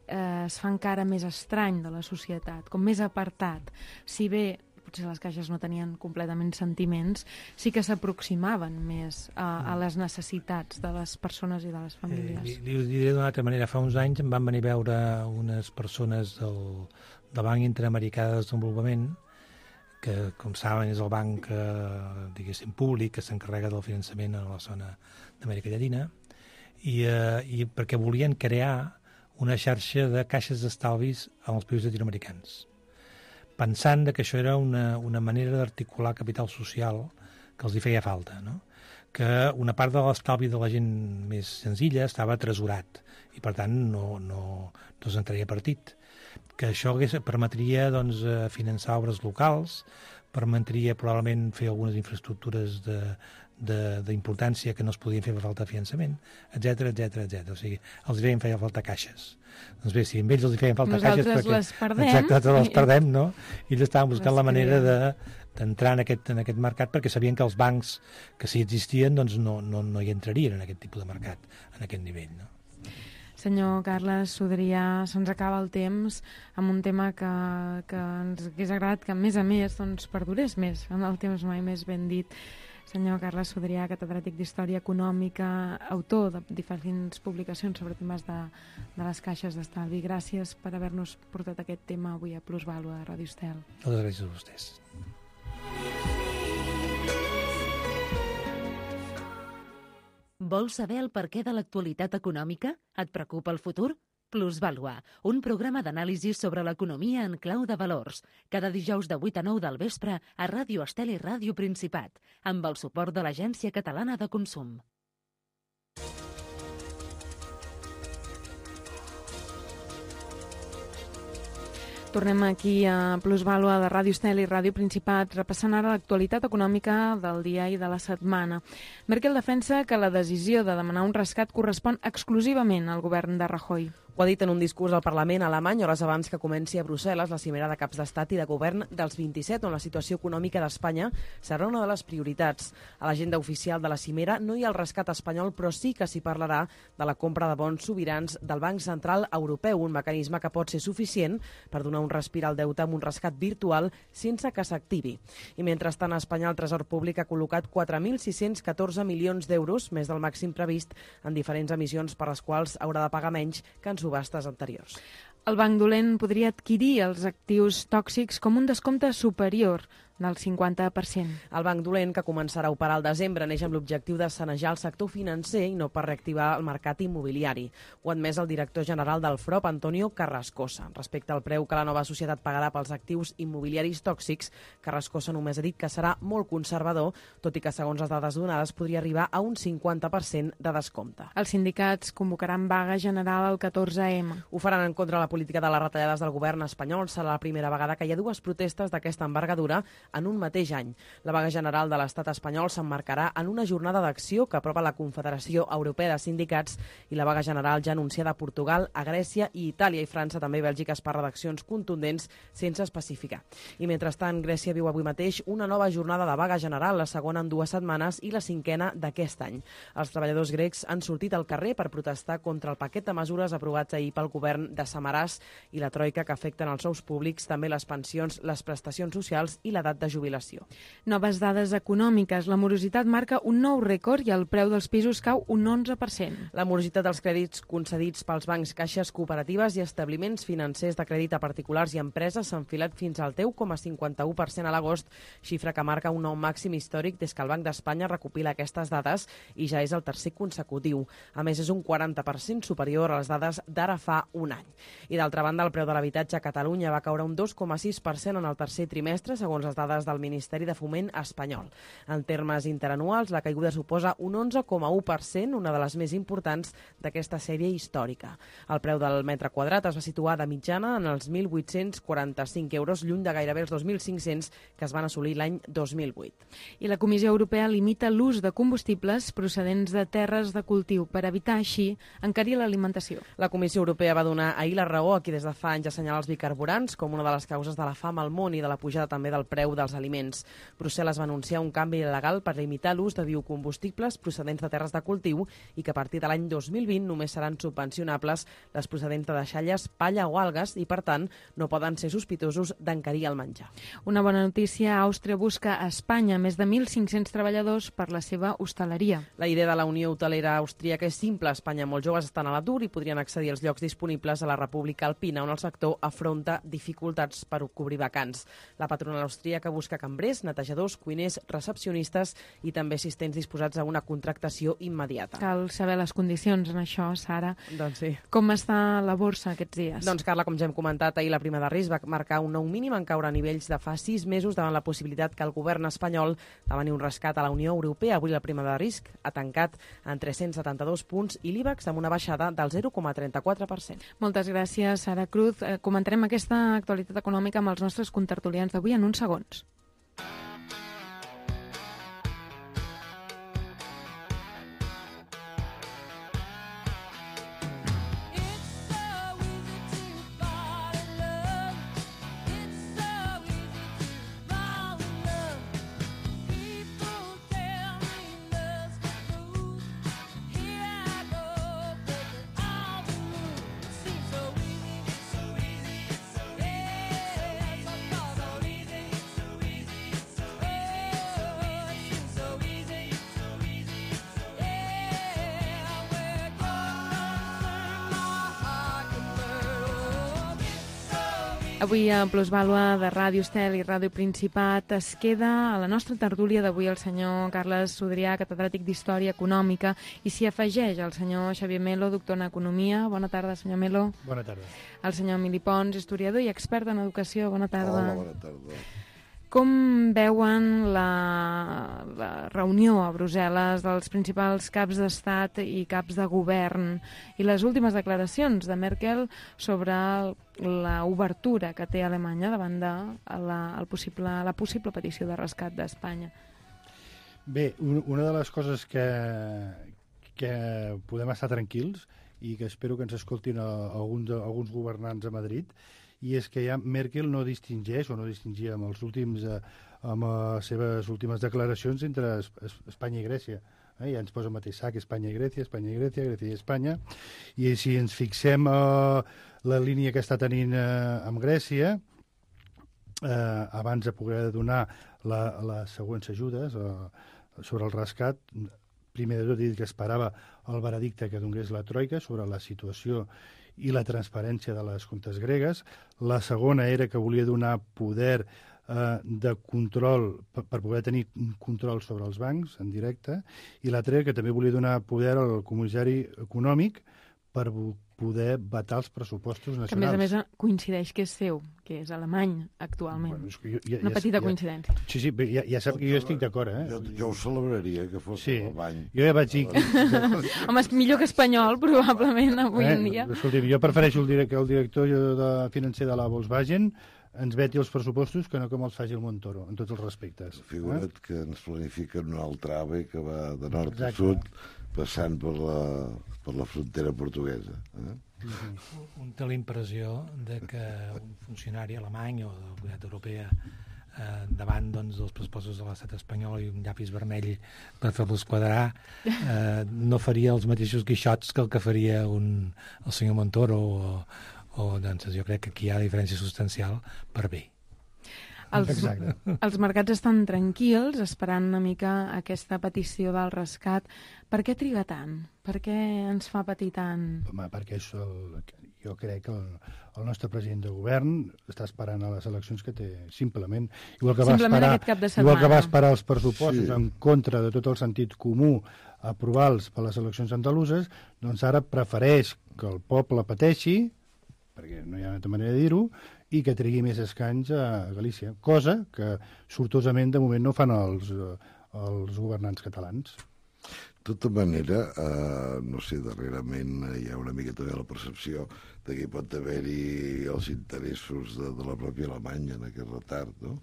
es fa encara més estrany de la societat, com més apartat. Si bé potser les caixes no tenien completament sentiments, sí que s'aproximaven més a les necessitats de les persones i de les famílies. Li ho diré d'una altra manera. Fa uns anys em van venir a veure unes persones del Banc Interamericà de Desenvolupament, que, com saben, és el banc, diguéssim, públic, que s'encarrega del finançament a la zona d'Amèrica Llatina, i perquè volien crear una xarxa de caixes d'estalvis als països llatinoamericans, pensant que això era una manera d'articular capital social que els hi feia falta, no? Que una part de l'estalvi de la gent més senzilla estava tresorat i, per tant, no se'n treia partit. Que això permetria doncs, finançar obres locals, permetria probablement fer algunes infraestructures d'importància que no es podien fer per falta de finançament, etc. O sigui, els feien falta caixes. Doncs bé, si a ells els feien falta caixes... Nosaltres les perdem. Exacte, les perdem, no? I ells estaven buscant la manera d'entrar en aquest mercat perquè sabien que els bancs que sí existien doncs no hi entrarien en aquest tipus de mercat, en aquest nivell, no? Senyor Carles Sudrià, se'ns acaba el temps amb un tema que ens hagués agradat que, a més, doncs, perdurés més en el temps, mai més ben dit. Senyor Carles Sudrià, catedràtic d'Història Econòmica, autor de diferents publicacions sobre temes de les caixes d'estalvi. Gràcies per haver-nos portat aquest tema avui a Plusvàlua de Ràdio Estel. Moltes gràcies a vostès. Vols saber el perquè de l'actualitat econòmica? Et preocupa el futur? Plusvàlua, un programa d'anàlisi sobre l'economia en clau de valors. Cada dijous de 8 a 9 del vespre a Ràdio Estel i Ràdio Principat, amb el suport de l'Agència Catalana de Consum. Tornem aquí a Plusvàlua de Ràdio Estel i Ràdio Principat, repassant ara l'actualitat econòmica del dia i de la setmana. Merkel defensa que la decisió de demanar un rescat correspon exclusivament al govern de Rajoy. Ho ha dit en un discurs al Parlament alemany hores abans que comenci a Brussel·les la cimera de caps d'estat i de govern dels 27, on la situació econòmica d'Espanya serà una de les prioritats. A l'agenda oficial de la cimera no hi ha el rescat espanyol, però sí que s'hi parlarà de la compra de bons sobirans del Banc Central Europeu, un mecanisme que pot ser suficient per donar un respir al deute amb un rescat virtual sense que s'activi. I mentrestant, a Espanya el Tresor Públic ha col·locat 4.614 milions d'euros, més del màxim previst, en diferents emissions per les quals haurà de pagar menys que en subhastes anteriors. El banc dolent podria adquirir els actius tòxics com un descompte superior del 50%. El banc dolent, que començarà a operar al desembre, neix amb l'objectiu de sanejar el sector financer i no per reactivar el mercat immobiliari. Ho ha admès el director general del FROP, Antonio Carrascosa. Respecte al preu que la nova societat pagarà pels actius immobiliaris tòxics, Carrascosa només ha dit que serà molt conservador, tot i que, segons les dades donades, podria arribar a un 50% de descompte. Els sindicats convocaran vaga general el 14M. Ho faran en contra de la política de les retallades del govern espanyol. Serà la primera vegada que hi ha dues protestes d'aquesta envergadura en un mateix any. La vaga general de l'estat espanyol s'emmarcarà en una jornada d'acció que apropa la Confederació Europea de Sindicats i la vaga general ja anunciada a Portugal, a Grècia i Itàlia i França, també Bèlgica, per redaccions contundents sense especificar. I mentrestant, Grècia viu avui mateix una nova jornada de vaga general, la segona en 2 setmanes i la 5a d'aquest any. Els treballadors grecs han sortit al carrer per protestar contra el paquet de mesures aprovats ahir pel govern de Samaràs i la troica que afecten els sous públics, també les pensions, les prestacions socials i l'edat de jubilació. Noves dades econòmiques. La morositat marca un nou rècord i el preu dels pisos cau un 11%. La morositat dels crèdits concedits pels bancs, caixes, cooperatives i establiments financers de crèdit a particulars i empreses s'ha enfilat fins al 10,51% a l'agost, xifra que marca un nou màxim històric des que el Banc d'Espanya recopila aquestes dades i ja és el tercer consecutiu. A més, és un 40% superior a les dades d'ara fa un any. I d'altra banda, el preu de l'habitatge a Catalunya va caure un 2,6% en el tercer trimestre, segons les dades del Ministeri de Foment espanyol. En termes interanuals, la caiguda suposa un 11,1%, una de les més importants d'aquesta sèrie històrica. El preu del metre quadrat es va situar de mitjana en els 1.845 euros, lluny de gairebé els 2.500 que es van assolir l'any 2008. I la Comissió Europea limita l'ús de combustibles procedents de terres de cultiu per evitar així encarir l'alimentació. La Comissió Europea va donar ahir la raó a qui des de fa anys assenyala els bicarburants com una de les causes de la fam al món i de la pujada també del preu dels aliments. Brussel·les va anunciar un canvi legal per limitar l'ús de biocombustibles procedents de terres de cultiu i que a partir de l'any 2020 només seran subvencionables les procedents de deixalles, palla o algues i, per tant, no poden ser sospitosos d'encarir el menjar. Una bona notícia, Àustria busca a Espanya més de 1.500 treballadors per la seva hostaleria. La idea de la Unió Hotelera Austríaca és simple. A Espanya molts joves estan a l'atur i podrien accedir als llocs disponibles a la República Alpina, on el sector afronta dificultats per cobrir vacants. La patronal austríaca busca cambrers, netejadors, cuiners, recepcionistes i també assistents disposats a una contractació immediata. Cal saber les condicions en això, Sara. Doncs sí. Com està la borsa aquests dies? Doncs, Carla, com ja hem comentat, ahir la prima de risc va marcar un nou mínim en caure a nivells de fa 6 mesos davant la possibilitat que el govern espanyol demani un rescat a la Unió Europea. Avui la prima de risc ha tancat en 372 punts i l'IBEX amb una baixada del 0,34%. Moltes gràcies, Sara Cruz. Comentarem aquesta actualitat econòmica amb els nostres contertulians d'avui en uns segons. Avui a Plusvàlua de Ràdio Estel i Ràdio Principat es queda a la nostra tertúlia d'avui el senyor Carles Sodrià, catedràtic d'Història Econòmica, i s'hi afegeix el senyor Xavier Melo, doctor en Economia. Bona tarda, senyor Melo. Bona tarda. El senyor Emili Pons, historiador i expert en educació. Bona tarda. Hola, bona tarda. Com veuen la reunió a Brussel·les dels principals caps d'estat i caps de govern i les últimes declaracions de Merkel sobre l'obertura que té Alemanya davant de la possible petició de rescat d'Espanya? Bé, una de les coses que podem estar tranquils i que espero que ens escoltin alguns governants a Madrid, i és que ja Merkel no distingeix o no distingia amb les seves últimes declaracions entre Espanya i Grècia. Ja ens posa el mateix sac, Espanya i Grècia, Espanya i Grècia, Grècia i Espanya. I si ens fixem la línia que està tenint amb Grècia, abans de poder donar les següents ajudes sobre el rescat, primer de tot he dit que esperava el veredicte que donés la Troika sobre la situació i la transparència de les comptes gregues. La segona era que volia donar poder de control per poder tenir control sobre els bancs en directe, i l'altra era que també volia donar poder al comissari econòmic per poder vetar els pressupostos nacionals. Que, a més, coincideix que és seu, que és alemany, actualment. Bueno, una petita coincidència. Sí, ja sap que jo estic d'acord, Jo ho celebraria, que fos alemany. Jo ja vaig dir... Home, és millor que espanyol, probablement, avui en dia. Escolti'm, jo prefereixo que el director financer de la Volkswagen ens veti els pressupostos que no com els faci el Montoro, en tots els respectes. Figura't que ens planifiquen un altre AVE que va de nord a sud, passant per la frontera portuguesa. Un té la impressió que un funcionari alemany o de la Comunitat Europea davant dels pressupostos de l'estat espanyol i un llapis vermell per fer-los quadrar no faria els mateixos guixots que el que faria el senyor Montoro doncs jo crec que aquí hi ha diferència substancial per bé. Els mercats estan tranquils, esperant una mica aquesta petició del rescat. Per què triga tant? Per què ens fa patir tant? Home, perquè jo crec que el nostre president de govern està esperant a les eleccions que té, simplement. Igual que aquest cap de setmana. Igual que va esperar els pressupostos en contra de tot el sentit comú, aprovar-los per les eleccions andaluses, doncs ara prefereix que el poble pateixi, perquè no hi ha altra manera de dir-ho, i que trigui més escanys a Galícia, cosa que sortosament de moment no fan els governants catalans. De tota manera, no sé, darrerament hi ha una mica també la percepció de que hi pot haver-hi els interessos de la pròpia Alemanya en aquest retard, no?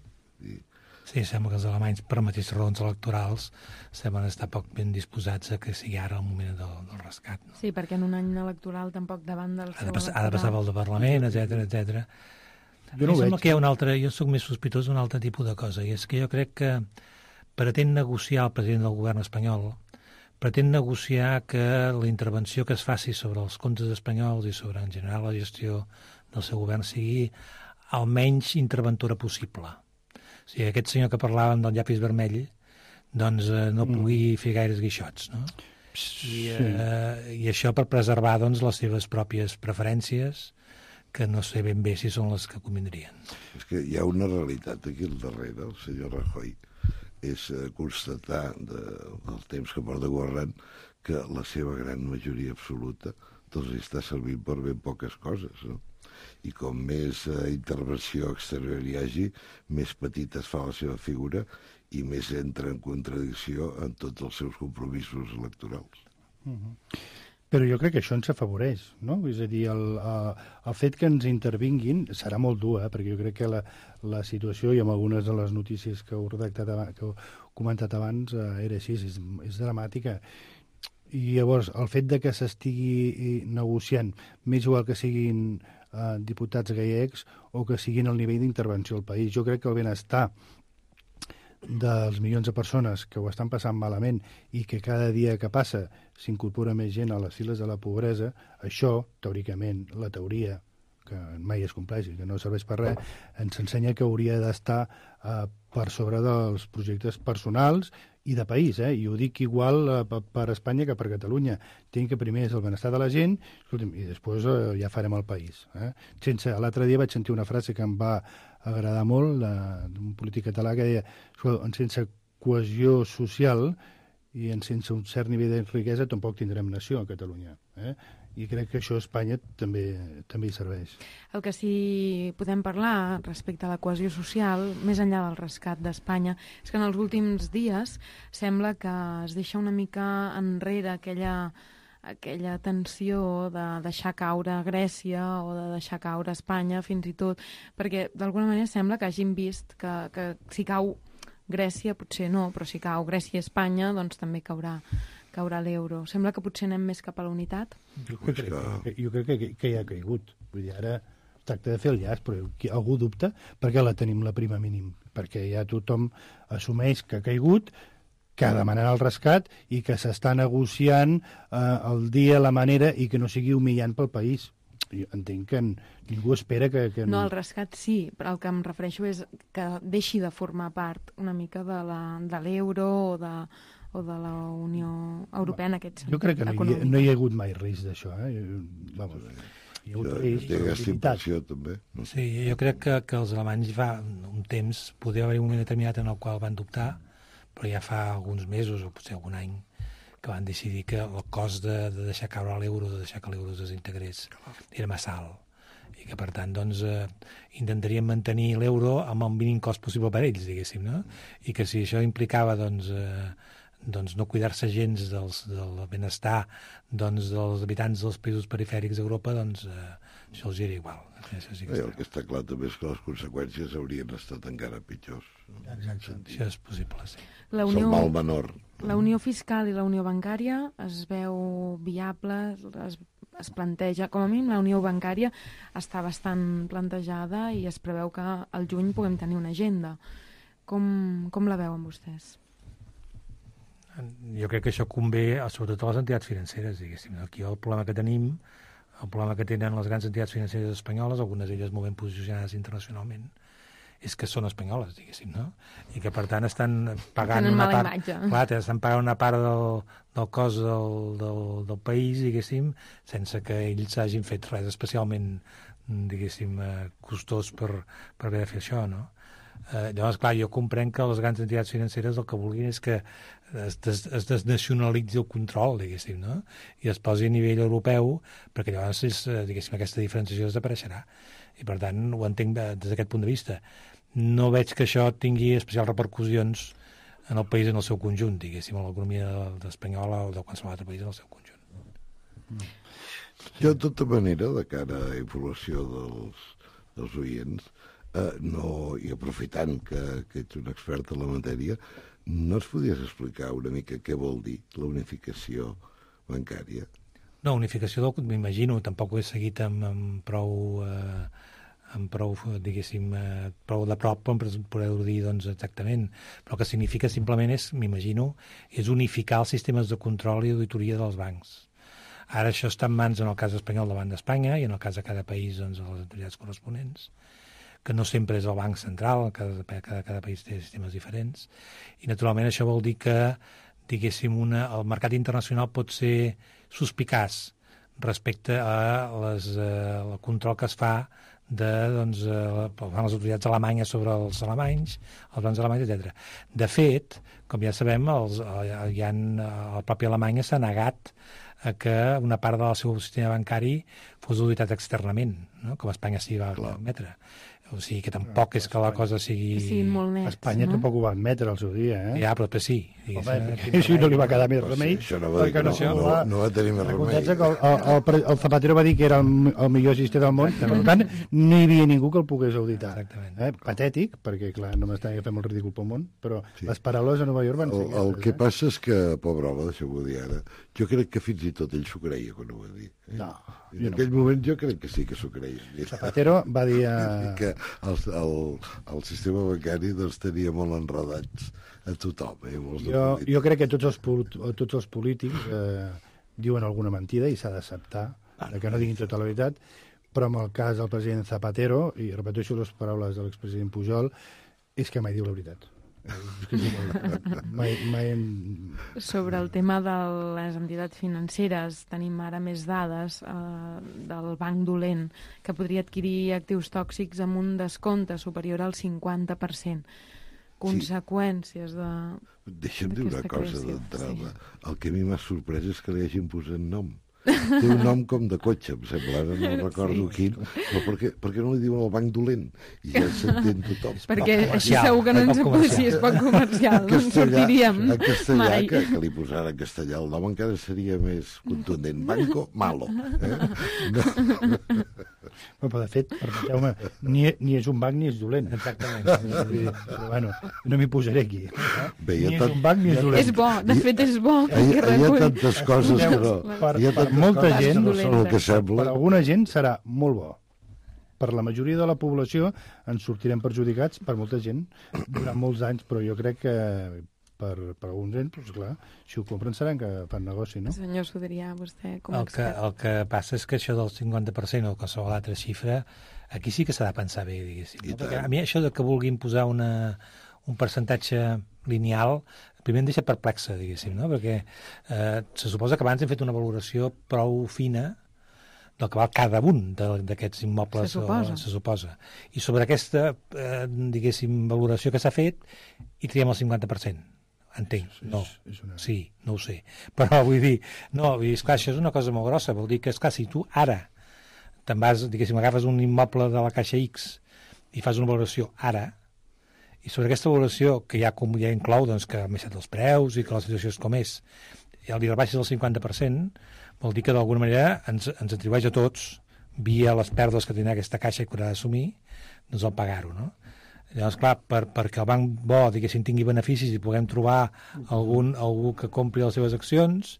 Sí, sembla que els alemanys, per mateixes raons electorals, semblen estar poc ben disposats a que sigui ara el moment del rescat. No? Sí, perquè en un any electoral tampoc davant del seu electorat... Ha de passar pel Parlament, etc. Jo no ho veig. Que hi ha un altre, jo sóc més sospitós d'un altre tipus de cosa, i és que jo crec que pretén negociar el president del govern espanyol, pretén negociar que la intervenció que es faci sobre els comptes espanyols i sobre, en general, la gestió del seu govern sigui el menys interventora possible. O sigui, aquest senyor que parlaven del llapis vermell, doncs no pugui fer gaires guixots, no? I això per preservar doncs, les seves pròpies preferències, que no sé ben bé si són les que convindrien. És que hi ha una realitat aquí al darrere, el senyor Rajoy, és constatar del temps que porta governant que la seva gran majoria absoluta doncs està servint per ben poques coses, no? I com més intervenció exterior hi hagi, més petita es fa la seva figura i més entra en contradicció en tots els seus compromisos electorals. Però jo crec que això ens afavoreix, no? És a dir, el fet que ens intervinguin serà molt dur, perquè jo crec que la situació, i amb algunes de les notícies que heu comentat abans, era així, és dramàtica. I llavors, el fet de que s'estigui negociant, més igual que siguin diputats gallecs o que siguin al nivell d'intervenció al país, jo crec que el benestar dels milions de persones que ho estan passant malament i que cada dia que passa s'incorpora més gent a les files de la pobresa, això, teòricament, la teoria, que mai es compleix i que no serveix per res, ens ensenya que hauria d'estar per sobre dels projectes personals i de país, i ho dic igual per Espanya que per Catalunya. Tinc que primer és el benestar de la gent, escolti'm, i després ja farem el país. L'altre dia vaig sentir una frase que em va agradar molt, d'un polític català que deia, sense cohesió social i sense un cert nivell de riquesa tampoc tindrem nació a Catalunya. I crec que això a Espanya també hi serveix. El que sí podem parlar respecte a la cohesió social, més enllà del rescat d'Espanya, és que en els últims dies sembla que es deixa una mica enrere aquella tensió de deixar caure Grècia o de deixar caure Espanya fins i tot, perquè d'alguna manera sembla que hagin vist que si cau Grècia potser no, però si cau Grècia i Espanya doncs també caurà l'euro. Sembla que potser anem més cap a la unitat? Jo crec que ja ha caigut. Vull dir, ara es tracta de fer el llaç, però algú dubta perquè la tenim la prima mínim. Perquè ja tothom assumeix que ha caigut, que demanarà el rescat i que s'està negociant el dia, la manera, i que no sigui humillant pel país. Jo entenc que ningú espera que... No, el rescat sí, però el que em refereixo és que deixi de formar part una mica de l'euro o de la Unió Europea en aquest sentit. Jo crec que no hi ha hagut mai risc d'això. Vamos, hi ha hagut risc de imposició, també. Sí, jo crec que els alemanys fa un temps, podia haver un moment determinat en el qual van dubtar, però ja fa alguns mesos o potser algun any que van decidir que el cost de deixar caure l'euro, de deixar que l'euro es desintegrés, era massa alt. I que, per tant, doncs, intentaríem mantenir l'euro amb el mínim cost possible per ells, diguéssim, no? I que si això implicava, doncs no cuidar-se gens del benestar dels habitants dels països perifèrics d'Europa, doncs això els era igual. El que està clar també és que les conseqüències haurien estat encara pitjors. Exacte. Això és possible, sí. És el mal menor. La unió fiscal i la unió bancària es veu viable, es planteja, com a mínim la unió bancària està bastant plantejada i es preveu que al juny puguem tenir una agenda. Com la veuen vostès? Jo crec que això convé sobretot a les entitats financeres, diguéssim. Aquí el problema que tenim, el problema que tenen les grans entitats financeres espanyoles, algunes d'elles molt ben posicionades internacionalment, és que són espanyoles, diguéssim, no? I que, per tant, estan pagant Tenen una mala part... imatge. Clar, estan pagant una part del cost del país, diguéssim, sense que ells hagin fet res especialment, diguéssim, costós per haver de fer això, no? Llavors, clar, jo comprenc que les grans entitats financeres el que vulguin és que es desnacionalitzi el control, diguéssim, no? I es posi a nivell europeu, perquè llavors, diguéssim, aquesta diferenciació desapareixerà. I, per tant, ho entenc des d'aquest punt de vista. No veig que això tingui especials repercussions en el país en el seu conjunt, diguéssim, en l'economia espanyola o de qualsevol altre país en el seu conjunt. Jo, de tota manera, de cara a informació dels oients, i aprofitant que ets un expert en la matèria, no ens podies explicar una mica què vol dir la unificació bancària? No, unificació, m'imagino, tampoc ho he seguit amb prou, diguéssim, prou de prop per poder-ho dir doncs, exactament. Però el que significa simplement és, m'imagino, és unificar els sistemes de control i auditoria dels bancs. Ara això està en mans, en el cas espanyol, del Banc d'Espanya, i en el cas de cada país, doncs, de les autoritats corresponents, que no sempre és el Banc Central, cada país té sistemes diferents, i naturalment això vol dir que, diguéssim, el mercat internacional pot ser suspicaç respecte al control que es fa les autoritats alemanyes sobre els alemanys, els bancs alemanys, etc. De fet, com ja sabem, el propi Alemanya s'ha negat a que una part del seu sistema bancari fos auditat externament, no? Com Espanya s'hi va admetre. O sigui que tampoc és que la cosa sigui... Sí, molt nets, Espanya tampoc ho va admetre al seu dia, eh? Ja, però sí. Així no li va quedar més remei. Això no va dir que no va tenir més remei. El Zapatero va dir que era el millor sistema del món, per tant, no hi havia ningú que el pogués auditar. Exactament. Patètic, perquè, clar, no m'estava fent molt ridícul pel món, però les paraules a Nova York van ser... El que passa és que, pobre home, deixeu-ho dir ara, jo crec que fins i tot ell s'ho creia quan ho va dir. No. En aquell moment jo crec que sí que s'ho creia. Zapatero va dir... Que el sistema bancari doncs, tenia molt enredats a tothom. Jo crec que tots els polítics diuen alguna mentida i s'ha d'acceptar, que no diguin tota la veritat, però en el cas del president Zapatero, i repeteixo les paraules de l'expresident Pujol, és que mai diu la veritat. Sobre el tema de les entitats financeres, tenim ara més dades del banc dolent que podria adquirir actius tòxics amb un descompte superior al 50%. Conseqüències de... Deixa'm dir una cosa d'entrada. El que a mi m'ha sorprès és que li hagin posat nom. Té un nom com de cotxe, em sembla, ara no recordo quin, però per què no li diuen el banc dolent? I ja s'entén tothom. Perquè així segur que no ens acusi, és poc comercial, no ens sortiríem mai. En castellà, que li posara en castellà el nom encara seria més contundent. Banco malo. Però, de fet, permeteu-me, ni és un banc ni és dolent. Exactament. Però, bueno, no m'hi posaré aquí. Bé, ni és un banc ni és dolent. És bo, de fet és bo. Hi ha tantes coses que no... Per molta gent, per alguna gent serà molt bo. Per la majoria de la població ens sortirem perjudicats, per molta gent, durant molts anys, però jo crec que per alguns anys, doncs clar, si ho compren seran que fan negoci, no? Senyor Sudrià, vostè com a expert. El que passa és que això del 50% o qualsevol altra xifra, aquí sí que s'ha de pensar bé, diguéssim. No? Perquè a mi això de que vulguin posar un percentatge lineal, primer em deixa perplexa, diguéssim, no? Perquè se suposa que abans hem fet una valoració prou fina del que val cada un d'aquests immobles. Se suposa. I sobre aquesta, diguéssim, valoració que s'ha fet, hi triem el 50%. Entenc, no. Sí, no ho sé. Però vull dir, no, esclar, això és una cosa molt grossa. Vol dir que, esclar, si tu ara te'n vas, diguéssim, agafes un immoble de la Caixa X i fas una valoració ara, i sobre aquesta valoració, que ja inclou doncs, que han baixat els preus i que la situació és com és, i li rebaixes el 50%, vol dir que d'alguna manera ens atribueix a tots, via les pèrdues que tindrà aquesta caixa i que haurà d'assumir, doncs el pagar-ho, no? Llavors, clar, perquè el banc bo, diguéssim, tingui beneficis i puguem trobar algú que compri les seves accions,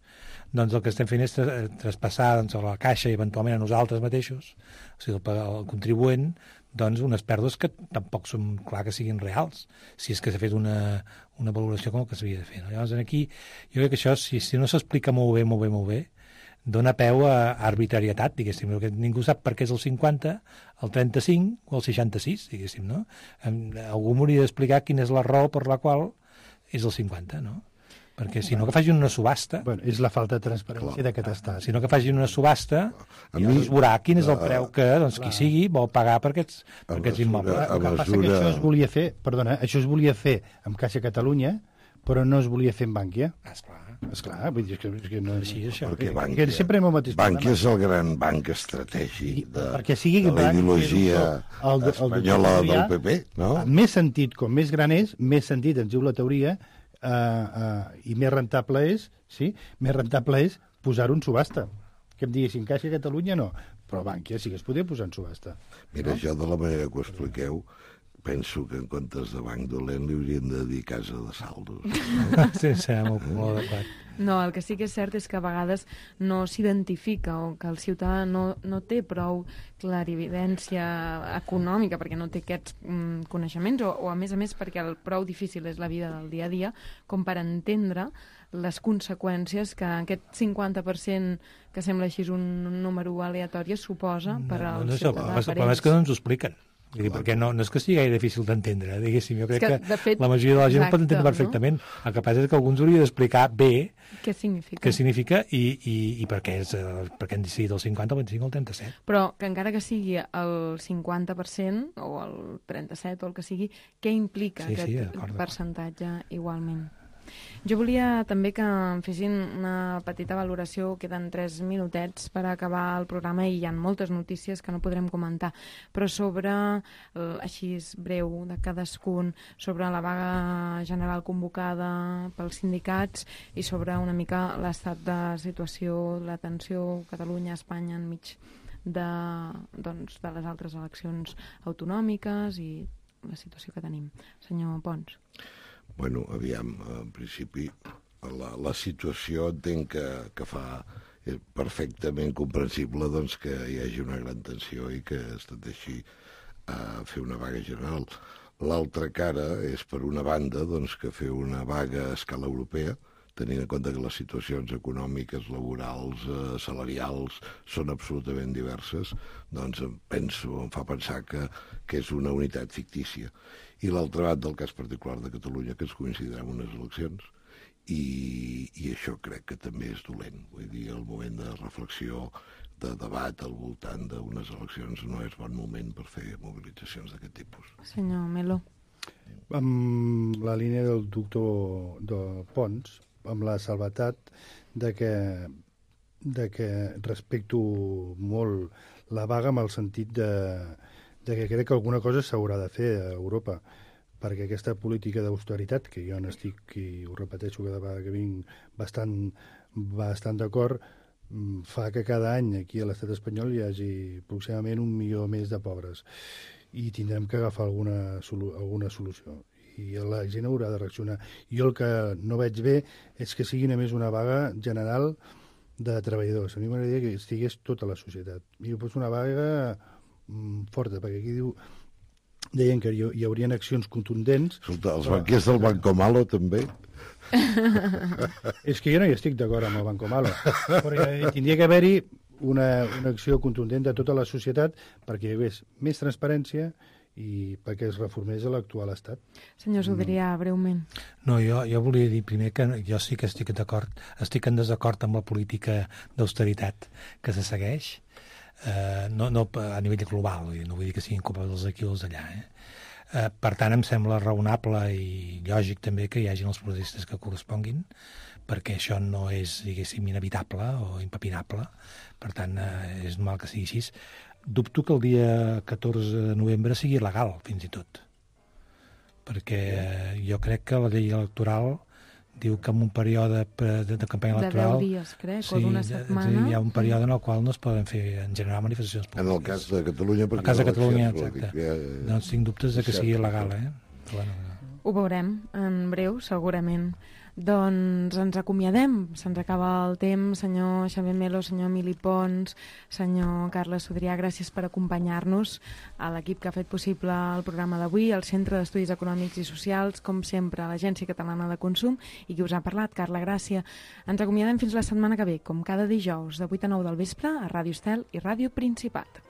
doncs el que estem fent és traspassar doncs, a la caixa i eventualment a nosaltres mateixos, o sigui, el contribuent, doncs unes pèrdues que tampoc són clar que siguin reals, si és que s'ha fet una valoració com el que s'havia de fer. No? Llavors, aquí, jo crec que això, si no s'explica molt bé, dona peu a arbitrarietat, diguéssim, que ningú sap per què és el 50, el 35 o el 66, diguéssim, no? Algú m'hauria d'explicar quina és la raó per la qual és el 50, no? Perquè si no que facin una subhasta... Bueno, és la falta de transparència d'aquest estat. Si no que facin una subhasta, es veurà quin és el preu que qui sigui vol pagar per aquests immobles. El que passa que això es volia fer, perdona, això es volia fer amb Caixa Catalunya, però no es volia fer amb Bànquia. Esclar, vull dir que no és així, això. Perquè Bànquia és el gran banc estratègic de la ideologia espanyola del PP, no? Més sentit, com més gran és, més sentit, ens diu la teoria, i més rentable és posar-ho en subhasta. Que em diguessin Caixa Catalunya no, però Bànquia sí que es podia posar en subhasta. Mira, jo de la manera que ho expliqueu penso que en comptes de banc dolent li haurien de dir casa de saldos. Sí, molt adequat. No, el que sí que és cert és que a vegades no s'identifica o que el ciutadà no té prou clarividència econòmica perquè no té aquests coneixements o a més perquè el prou difícil és la vida del dia a dia com per entendre les conseqüències que aquest 50% que sembla així un número aleatori suposa per al ciutadà. El problema és que no ens ho expliquen. Perquè no és que sigui gaire difícil d'entendre, diguéssim. Jo crec que fet, la majoria de la gent ho pot entendre perfectament. No? El que passa és que alguns hauria d'explicar bé què significa i per què han decidit el 50, el 25 o el 37. Però que encara que sigui el 50% o el 37 o el que sigui, què implica aquest percentatge igualment? Jo volia també que em fessin una petita valoració, queden 3 minutets per acabar el programa i hi ha moltes notícies que no podrem comentar, però sobre, així breu de cadascun, sobre la vaga general convocada pels sindicats i sobre una mica l'estat de situació, la tensió Catalunya-Espanya enmig de les altres eleccions autonòmiques i la situació que tenim. Senyor Pons. Bueno, aviam, en principi, la situació entenc que fa perfectament comprensible doncs, que hi hagi una gran tensió i que es tendeixi a fer una vaga general. L'altra cara és, per una banda, doncs, que fer una vaga a escala europea, tenint en compte que les situacions econòmiques, laborals, salarials són absolutament diverses, doncs em fa pensar que és una unitat fictícia. I l'altra banda, el cas particular de Catalunya, que es coincidirà amb unes eleccions, i això crec que també és dolent. Vull dir, el moment de reflexió, de debat al voltant d'unes eleccions no és bon moment per fer mobilitzacions d'aquest tipus. Senyor Melo. Amb la línia del doctor de Pons, amb la salvetat de que respecto molt la vaga amb el sentit de que crec que alguna cosa s'haurà de fer a Europa, perquè aquesta política d'austeritat, que jo n'estic, i ho repeteixo cada vegada que vinc, bastant d'acord, fa que cada any aquí a l'estat espanyol hi hagi aproximadament 1 milió més de pobres. I tindrem que agafar alguna solució. I la gent haurà de reaccionar. Jo el que no veig bé és que sigui només una vaga general de treballadors. A mi m'agradaria que estigués tota la societat. I doncs una vaga forta, perquè aquí deien que hi haurien accions contundents. Escolta, els banquers del Banco Malo també? És que jo no hi estic d'acord amb el Banco Malo, però tindria que haver-hi una acció contundent de tota la societat perquè hi hagués més transparència i perquè es reformés l'actual estat. Senyor Sodrià, breument. No, jo volia dir primer que jo sí que estic en desacord amb la política d'austeritat que se segueix, no a nivell global, no vull dir que siguin culpa dels d'aquí o els d'allà. Per tant, em sembla raonable i lògic també que hi hagin els protestes que corresponguin, perquè això no és, diguéssim, inevitable o impepinable. Per tant, és normal que sigui així. Dubto que el dia 14 de novembre sigui legal, fins i tot. Perquè jo crec que la llei electoral diu que en un període de campanya electoral... De 10 dies, crec, o d'una setmana. Hi ha un període en el qual no es poden fer, en general, manifestacions públiques. En el cas de Catalunya... En el cas de Catalunya, exacte. Doncs tinc dubtes de que sigui legal, Però bueno, ho veurem en breu, segurament. Doncs ens acomiadem, se'ns acaba el temps. Senyor Xavier Melo, senyor Emili Pons, senyor Carles Sodrià, gràcies per acompanyar-nos, a l'equip que ha fet possible el programa d'avui, al Centre d'Estudis Econòmics i Socials, com sempre, a l'Agència Catalana de Consum, i qui us ha parlat, Carla Gràcia. Ens acomiadem fins la setmana que ve, com cada dijous, de 8 a 9 del vespre, a Ràdio Estel i Ràdio Principat.